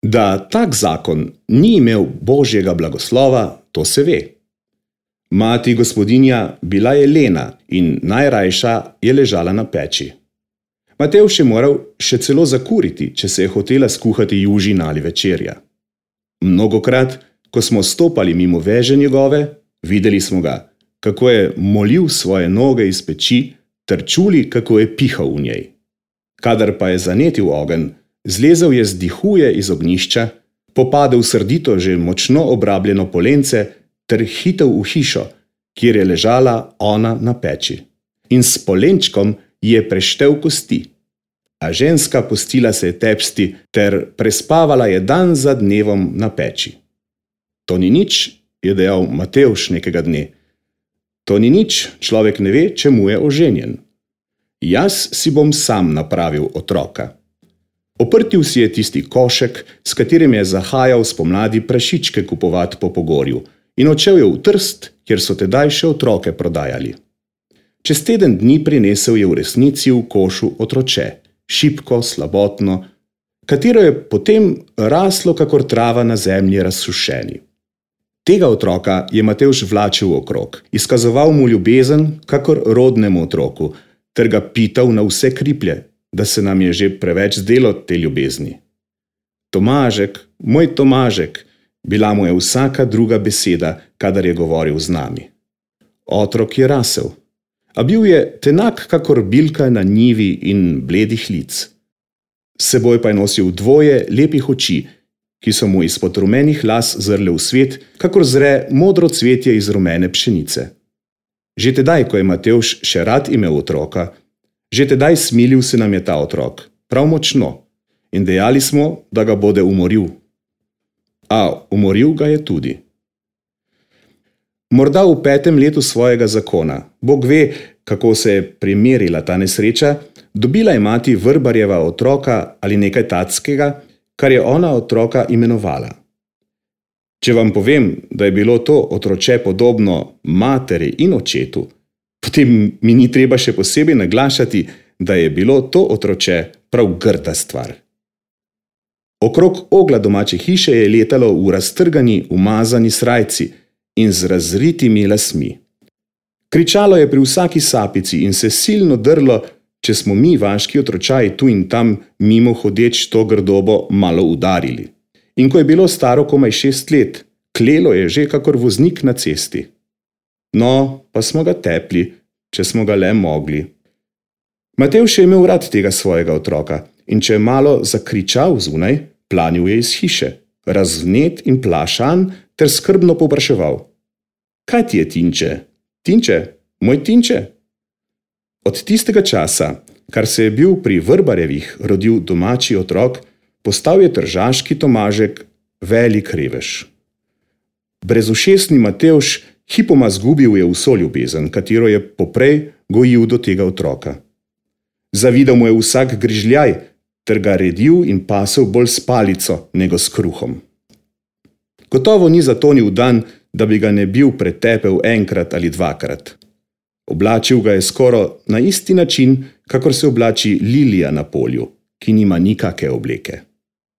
Da tak zakon ni imel Božjega blagoslova, to se ve. Mati gospodinja bila je lena in najrajša je ležala na peči. Matevž je moral še celo zakuriti, če se je hotela skuhati južina ali večerja. Mnogokrat, ko smo stopali mimo veže njegove, videli smo ga, kako je molil svoje noge iz peči, ter čuli, kako je pihal v njej. Kadar pa je zanetil ogenj, zlezel je z dihuje iz ognjišča, popadel srdito že močno obrabljeno polence ter hitel v hišo, kjer je ležala ona na peči. In s polenčkom je preštel kosti. A ženska pustila se je tepsti ter prespavala je dan za dnevom na peči. To ni nič, je dejal Matevž nekega dne. To ni nič, človek ne ve, čemu je oženjen. Jaz si bom sam napravil otroka. Oprtil si je tisti košek, s katerim je zahajal spomladi prašičke kupovat po Pogorju, in odšel je v Trst, kjer so tedaj še otroke prodajali. Čez teden dni prinesel je v resnici v košu otroče, šibko, slabotno, katero je potem raslo kakor trava na zemlji razsušeni. Tega otroka je Matevž vlačil okrog, izkazoval mu ljubezen kakor rodnemu otroku, ter ga pital na vse kriplje, da se nam je že preveč zdelo te ljubezni. Tomažek, moj Tomažek, bila mu je vsaka druga beseda, kadar je govoril z nami. Otrok je rasel, a bil je tenak kakor bilka na njivi in bledih lic. S seboj pa je nosil dvoje lepih oči, ki so mu izpod rumenih las zrle v svet, kakor zre modro cvetje iz rumene pšenice. Že tedaj, ko je Matevž še rad imel otroka, že tedaj smilil se nam je ta otrok, prav močno, in dejali smo, da ga bode umoril. A umoril ga je tudi. Morda v 5. letu svojega zakona, Bog ve, kako se je primerila ta nesreča, dobila je mati Vrbarjeva otroka ali nekaj tackega, kar je ona otroka imenovala. Če vam povem, da je bilo to otroče podobno materi in očetu, potem mi ni treba še posebej naglašati, da je bilo to otroče prav grda stvar. Okrog ogla domače hiše je letalo v raztrgani, umazani srajci in z razritimi lasmi. Kričalo je pri vsaki sapici in se silno drlo, če smo mi, vaški otročaji, tu in tam mimo hodeč to grdobo malo udarili. In ko je bilo staro komaj 6 let, klelo je že kakor voznik na cesti. No, pa smo ga tepli, če smo ga le mogli. Matevž je imel rad tega svojega otroka in če je malo zakričal zunaj, planil je iz hiše, razvnet in plašan ter skrbno povpraševal. Kaj ti je, Tinče? Tinče, moj Tinče? Od tistega časa, kar se je bil pri Vrbarjevih rodil domači otrok, postal je tržaški Tomažek velik revež. Brezušesni Matevž hipoma zgubil je vso ljubezen, katero je poprej gojil do tega otroka. Zavidal mu je vsak grižljaj, ter ga redil in pasel bolj s palico, nego s kruhom. Gotovo ni zatonil dan, da bi ga ne bil pretepel enkrat ali dvakrat. Oblačil ga je skoro na isti način, kakor se oblači lilija na polju, ki nima nikake obleke.